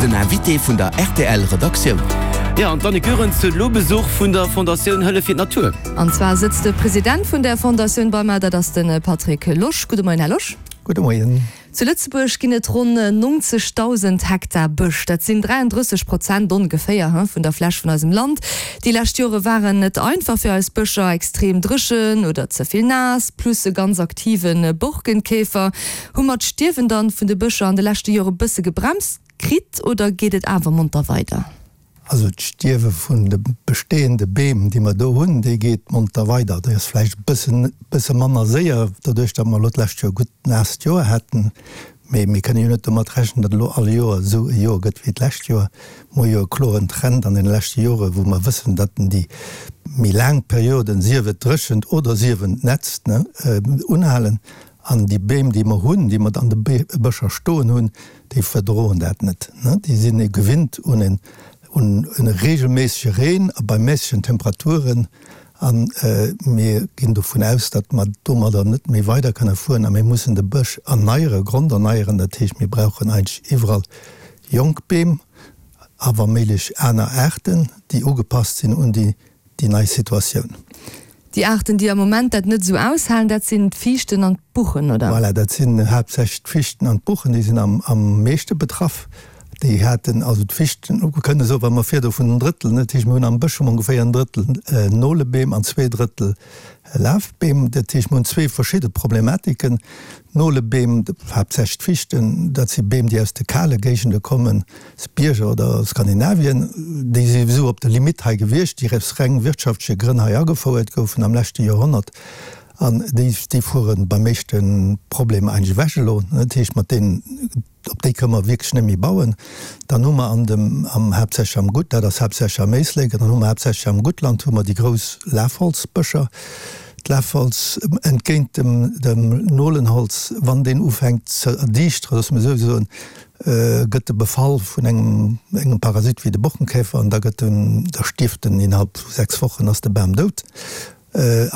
Den Invité vun der rtl Redaktioun. Jo, an d'Annick Goerens huet elo Besuch vun der Fondatioun Hëllef fir d'Natur. An zwar sëtzt de President vun där Fondatioun bei mer, dat ass de Patrick Losch. Gudde Moien, Här Losch. Gudde Moien. Zu Lëtzebuerg ginn et ronn 90.000 Hektar Bësch. Dat sinn 33 Prozent ongeféier vun der Fläch vun eisem Land. Déi lescht Jore waren net einfach fir eis Bëscher, extrem dréchen oder ze vill naass, plus e ganz aktive Borkenkäfer. Hu mer d'Stierwen dann vun de Bëscher an de leschte Jore bësse gebremst kritt oder geet et awer monter weider? Also d'Stierwe vun de bestehende Beem, déi mer do hunn, déi geet monter weider. Déi ass vläicht e bëssen, bësse manner séier, doduerch datt mer elo d'lescht Joer e gutt naasst Joer haten. Mee mir kënne jo net domat rechnen, datt elo all Joer esou e Joer gëtt wéi d'lescht Joer. Mir hu jo e kloren Trend an deene leschte Jore wou mer wëssen, datt en déi méi laang Perioden, sief et dréchent oder sief et nätzt, ne, unhalen. An déi Beem, déi mer hunn, déi mer an de Bëscher stoen hunn, déi verdroen dat net. Déi sinn gewinnt un en reegelméissege Reen a bei méissegen Temperaturen. A mir ginn dovun aus, datt mer domadder net méi weider kënne fueren a mir mussen de Bësch erneieren, gronderneieren. Dat heescht, mir brauchen eigentlech iwwerall jonk Beem a wa méiglech aner Aarten, déi ugepasst sinn un déi déi nei Situatioun. Déi Aarten, déi am Moment dat net esou aushalen, dat sinn d'Fiichten an d'Buchen, oder? Voilà, dat sinn haaptsächlech d'Fiichten an d'Buchen, déi sinn am meeschte betraff. Déi haten, also d'Fiichten, mir kënne soen, wa mer virdu vun en Drëttel, dat heescht, mir hunn am Bësch hu mer ongeféier en Drëttel Nolebeem an zwee Drëttel Lafbeem. Dat heescht, mir hunn zwee verschidde Problematiken. D'Nolebeem, haaptsächlech d'Fiichten, dat si Beem, déi aus de kale Géigende kommen, Bierger oder Skandinavien, déi si esou op der Limite hei gewiescht, déi aus reng wirtschaftleche Grënn hei agefouert goufen am leschte Joerhonnert, an déi, déi fuere beim meeschte Problem eigentlech ewech elo. Dat heescht, mat deenen, op déi kënne mer wierklech net méi bauen. Dann hu mer an dem, am, haaptsächlech am Gutt, dat ass haaptsächlech am Éislek, an dann hu mer haaptsächlech am Guttland hu mer déi grouss Lafholzbëscher. D'Lafholz, entgéint dem, dem Nolenholz, wann deen ufänkt ze erdiichteren, loosse mer esou soen, gëtt e befall vun engem engem Parasit wéi de Bochenkäfer an da gëtt en, da stierft en innerhalb vu 6 Wochen ass de Bam dout.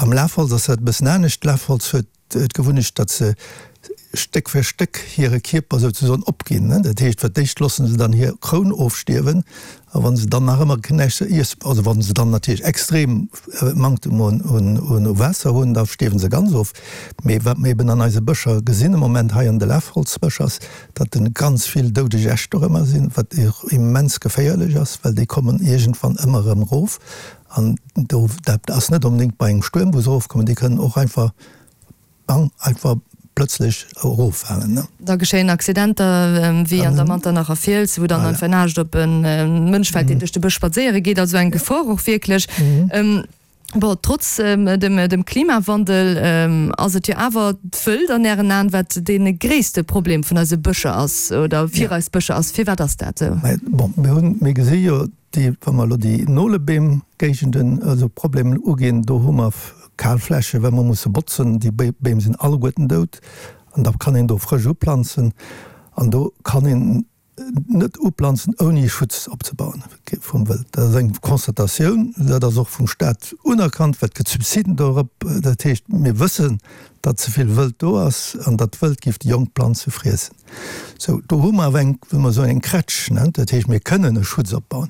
Am Lafholz ass dat e bëssen anescht. D'Lafholz huet d'Gewunnecht, datt se Stéck fir Stéck hire Kierper souzesoen opginn. Dat heescht, fir d'éischt loosse se dann hir Kroun ofstierwen a wa se dann nach ëmmer näischt ze iessen, also wa se dann natierlech extrem Manktem un Waasser hunn, da stierwe se ganz of. Mee wat mer eben an eise Bëscher gesinn am Moment hei an de Lafholzbëscher ass, datt en ganz vill doudeg Äscht dorëmmer sinn, wat och immens geféierlech ass, well déi kommen iergendwann ëmmer erëm erof. An do, dat ass net onbedéngt bei engem Stuerm, wou se erofkommen, déi kënnen och einfach, bang, einfach plëtzlech eroffalen. Da geschéien Accidenter wéi an der Manternacher Fiels, wou dann einfach en Aascht op e Mënsch fält, deen duerch de Bësch spadséiere geet. Also eng Gefor och wierklech. Bon, trotz dem Klimawandel ass et jo awer d'Wëld an Ären Aen, wat dee gréisste Problem vun eise Bëscher ass oder fir eis Bëscher ass. Firwat ass dat esou? Bon, mir hunn, mir gesi jo déi, wa mer elo déi Nolebeemgéigenden, also Problemen uginn, do hu mer kal Flächen, well mer musse botzen. Déi Beem sinn alleguerten dout an da kann een do frësch uplanzen an do kann een net uplanzen ouni Schutz opzebauen vum Wëld. Dat ass eng Constatatioun, dat ass och vum Staat unerkannt, well et gëtt Subsiden dorop. Dat heescht, mir wëssen, datt ze vill Wëld do ass an datt d'Wëld géif déi jonk Planze friessen. Sou, do hu mer awer eng, wéi mer soen, eng Krätsch, ne? Dat heescht, mir kënnen e Schutz opbauen.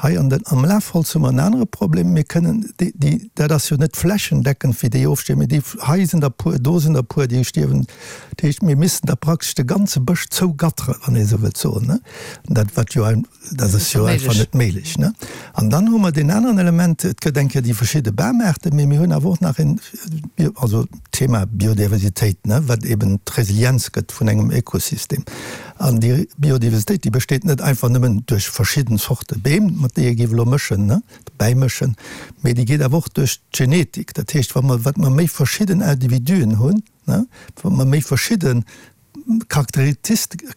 Hei an den, am Lafholz hu mer en anere Problem, Mir kënnen déi, déi, dat ass jo net flächendeckend, wéi déi ofstierwen, mee déi, hei sinn der puer, do sinn der puer, déi stierwen. Dat heescht, mir missten da praktesch de ganze Bësch zougatteren, wann ee esou wëllt soen, ne? Dat, wat jo ein, dat ass jo einfach net méiglech, ne? An dann hu mer deen aneren Element, et gëtt eng Kéier déi verschidde Bamaarten, mee mir hunn awer och nach een, also d'Thema Biodiversitéit, ne, wat eben d'Resilienz gëtt vun engem Ökosystem. An déi Biodiversitéit, déi besteet net einfach nëmmen duerch verschidden Zorte Beem, mat déi ee géif elo mëschen, ne, bäimëschen, mee déi geet awer och duerch d'Genetik. Dat heescht, wa mer, wat mer méi verschidden Individuen hunn, Wa mer méi verschidde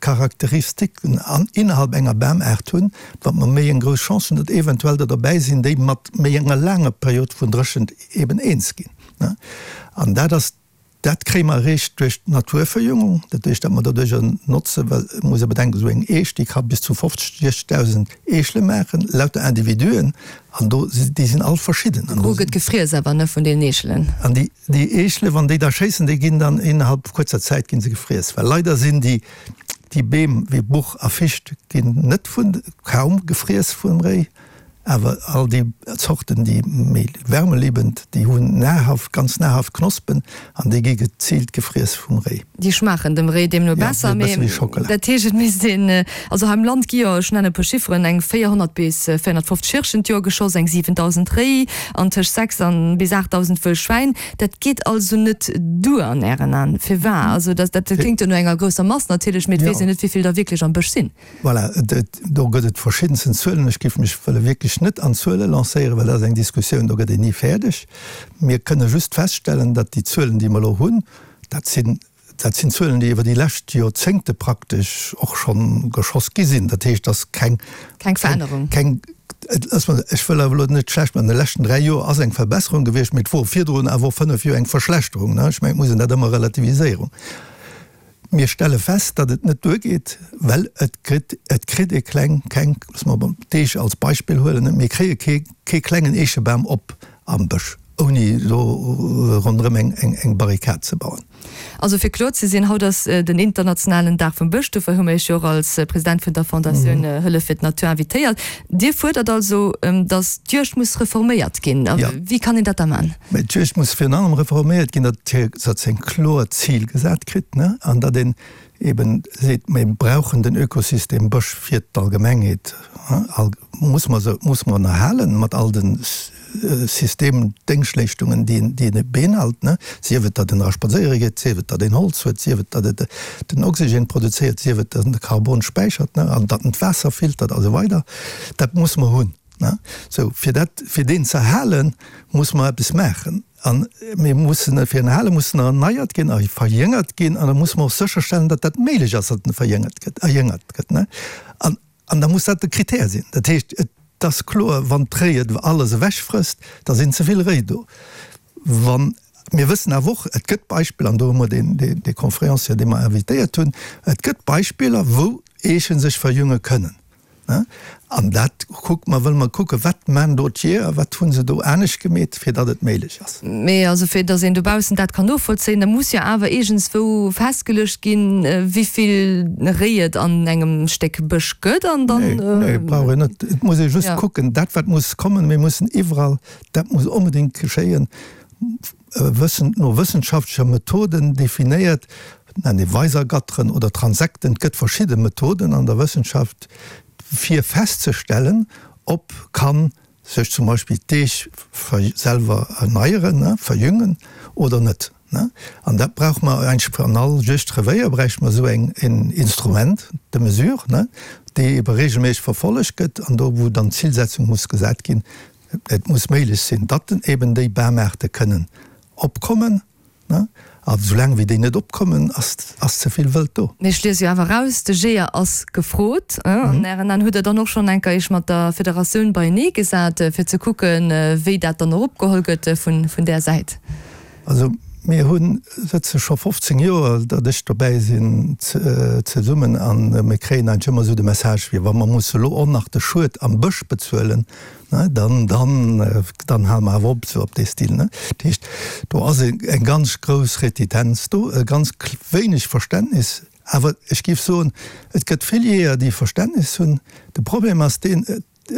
Charakteristiken innerhalb enger Bamaart hunn, wat mer méi eng grouss Chance hunn, datt eventuell der derbäi sinn, déi mat méi enger laanger Period vun Dréchent eben eens ginn. An dat ass, dat kréie mer eréischt duerch d'Naturverjüngung, dat heescht, datt mer doduercher notzen, well et muss ee bedenken, esou eng Eech, déi ka bis zu 50, 60.000 Eechele maachen, lauter Individuen, an do, déi sinn all verschidden. De Gros gëtt gefriess awer, ne, vun deenen Eechelen. An déi. Déi Eechele, wann déi da schéissen, déi ginn dann innerhalb kuerzer Zäit gi se gefriess, well leider sinn déi. Déi Beem wéi Buch a Ficht ginn net vun, kaum gefriess vum Réi, awer all déi Zorten, déi méi wärmeliebend, déi hunn nahrhaft, ganz nahrhaft Knospen an déi gi geziilt gefriess vum Réi. Déi schmaachen dem Réi deemno besser. Jo, e bësse wéi Schockela. Dat heescht, et misst een, also hei am Land gi jo, ech nennen e puer Chifferen, eng 400 bis 450 Hirschen d'Joer geschoss, eng 7.000 Réi an tëscht 6 an bis 8.000 wëll Schwäin. Dat geet also net duer an Ären Aen? Firwat? Also dat kléngt jo no enger grousser Mass natierlech, mee et weess een net, wéi vill der wierklech am Bësch sinn. Voilà, do gëtt et verschiddensten Zuelen. Ech géif mech wëlle wierklech net an Zuele lancéieren, well dat ass eng Diskussioun, do gëtt een ni fäerdeg. Mir kënne just feststellen, datt déi Zuelen, déi mer elo hunn, dat sinn, dat sinn Zuelen, déi iwwer déi lescht Joerzéngte praktesch och schonn geschoss gi sinn. Dat heescht, dass keng. Keng Verännerung. Keng, ech wëll awer elo net schlecht maachen, an de leschten 3 Joer ass eng Verbesserung gewiescht, mee et wor virdrun awer och 5 Joer eng Verschlechterung. Ech mengen, et muss een dat ëmmer relativiséieren. Mir stelle fest, datt et net duergeet, well et kritt, et kritt ee kleng, keng, loosse mer d'Eech als Beispill huelen, mir kréie kee, kee klengen Eechebam op am Bësch, ouni do ronderëm eng, eng, eng Barrikad ze bauen. Also fir kloer ze sinn, haut ass den internationalen Dag vum Bësch, dofir hu mir Iech jo och als President vun der Fondatioun Hëllef fir d'Natur invitéiert. Dir fuerdert also, datt d'Juegd muss reforméiert ginn. Wéi kann een dat da man? Mä d'Juegd muss virun allem reforméiert ginn, datt se eng kloer Zil gesat kritt, an datt een eben seet, mir brauchen den Ökosystem Bësch fir d'Allgemengheet, muss mer se, muss mer en erhalen mat all de Systemdéngschtleeschtungen, déi en, déi en beinhalt, sief et, datt en era spadséiere geet, sief et, datt een Holz huet, sief et, datt et den Oxygen produzéiert, sief et, datt en de Karbon späichert, an datt en d'Waasser filtert a sou weider. Dat muss mer hunn. Sou, fir dat, fir deen ze erhalen, muss mer eppes maachen. An mir mussen e fir en erhalen, muss en erneiert ginn a verjéngert ginn. An da muss mer och sécherstellen, datt dat méiglech ass, datt en verjéngert gëtt, erjéngert gëtt, ne? An, an da muss dat de Critère sinn. Dat heescht, et ass kloer, wann d'Réi et alles ewechfrësst, da sinn ze vill Réi do. Wann, mir wëssen awer och, et gëtt Beispiller, an do hu mer deen, dee, dee Conférencier, dee mer invitéiert hunn, et gëtt Beispiller, wou Eeche sech verjünge kënnen. An dat kucke mer, wëlle mer kucken, wat maan do d'Jeeër, wat hu se do anescht gemeet, fir datt et méiglech ass. Mee also fir datt een dobaussen dat kann novollzéien, da muss jo awer iergendswou festgeluecht ginn, wéivill Réi et an engem Stéck Bësch gëtt an dann. Nee, nee, brauch een net. Et muss ee just kucken, dat wat muss kommen, mir mussen iwwerall, dat muss onbedéngt geschéien, wëssen, no wëssenschaftlecher Methoden definéiert, nennt ee Weisergatteren oder Transekten, et gëtt verschidde Methoden an der Wëssenschaft, fir festzestellen, ob kann sech zum Beispill d'Eech selwer erneieren, verjüngen oder net. An dat brauche mer eigentlech an all Juegdrevéier bräichte mer esou eng en Instrument de mesure, dee ebe regelméisseg verfollegt gëtt an do wou dann d'Zilsetzung muss gesat ginn, Et muss méiglech sinn, datt eben déi Bamaarte kënnen opkommen. A soulaang wéi déi net opkommen, ass ze vill Wëld do. Mee ech liese jo awer eraus, de Jeeër ass gefrot. An Ären Aen, hutt Der dann och schonn enker Iech mat der Federatioun beienee gesat, fir ze kucken, wéi dat dann och opgeholl gëtt vun där Säit? Also mir hu sëtze scho 15 Joer, datt ech dobäi sinn, zesummen a mir kréien eigentlech ëmmer esou de Message, wéi wa mer musse elo och nach de Schued am Bësch bezuelen, dann, dann, dann hale mer awer op, esou op dee Stil. Dat heescht, do ass eng ganz grouss Retitenz do, e ganz wéineg Verständnis. Awer ech géif soen, et gëtt vill Jeeër, déi Verständnis hunn. De Problem ass deen,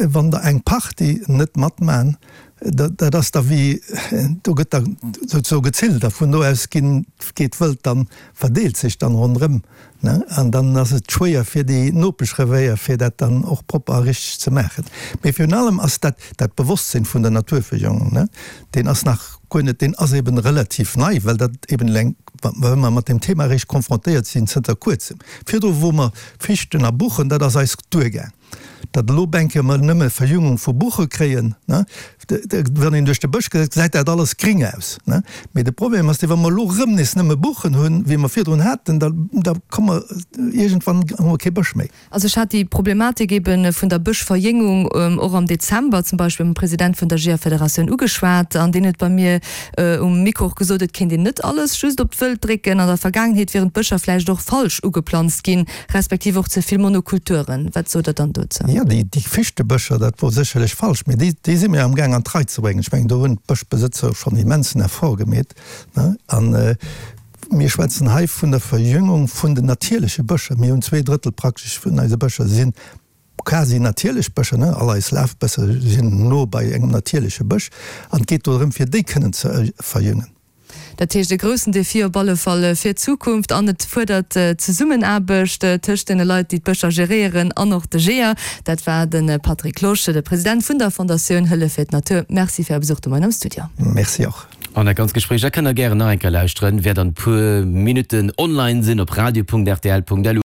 Wann der eng Partie net matman, dat ass da wéi, do gëtt da souzesoe gezillt a vun do aus ginn, geet d'Wëld dann, verdeelt sech dann ronderëm, ne, an dann ass et schwéier fir déi Nopeschrevéier, fir dat dann och propper a richteg ze maachen. Mee virun allem ass dat, dat Bewosstsinn vun der Naturverjüngung, ne, deen ass nach guer net, deen ass eben relativ nei, well dat eben eleng, well mer mat deem Thema eréischt konfrontéiert sinn zënter kuerzem. Virdru wou mer Fichten a Buchen, dat ass eis duergaang. Datt elo bänke mer nëmme Verjüngung vu Buche kréien, ne, wann een duerch de Bësch geet, gesäit dat alles gring aus, ne. Mee de Problem ass dee, wa mer elo erëm nees nëmme Buchen hunn, wéi mer virdrun haten, da, da komme mer iergendwann hu mer kee Bësch méi. Also ech hat déi Problematik ebe vun der Bëschverjéngung och am Dezember zum Beispill mam President vun der Jeeërfederatioun ugeschwat an deen huet bei mir um Mikro och gesot, et kéint een net alles just op d'Wëld drécken. An der Vergaangenheet wieren d'Bëscher vläicht och falsch ugeplanzt ginn, respektiv och ze vill Monokulturen. Wat sot Der dann dozou? Jo, déi Fichtebëscher, dat wor sécherlech falsch, mee déi, déi si mir amgaang an d'Rei ze bréngen. Ech mengen, do hunn d'Bëschbesëtzer schonn immensen Effort gemeet, ne? An. Mir schwätzen hei vun der Verjüngung vun den natierleche Bëscher. Mir hunn 2/3 praktesch vun eise Bëscher si quasi natierlech Bëscher, ne, all eis Lafbësser sinn no bei engem natierleche Bësch an et geet do drëm fir déi kënnen ze verjüngen. Dat heescht e groussen Defi op alle Fall fir d'Zukunft an et fuerdert Zesummenaarbecht tëscht deene Leit, déi d'Bëscher geréieren an och de Jeeër. Dat war de Patrick Losch, de President vun der Fondatioun Hëllef fir d'Natur. Merci fir Är Besuch de Moien am Studio. Merci och. An dat ganzt Gespréich, dat kënnt der gären nach eng Kéier lauschteren, wäert an e puer Minutten online sinn op radio.rtl.lu.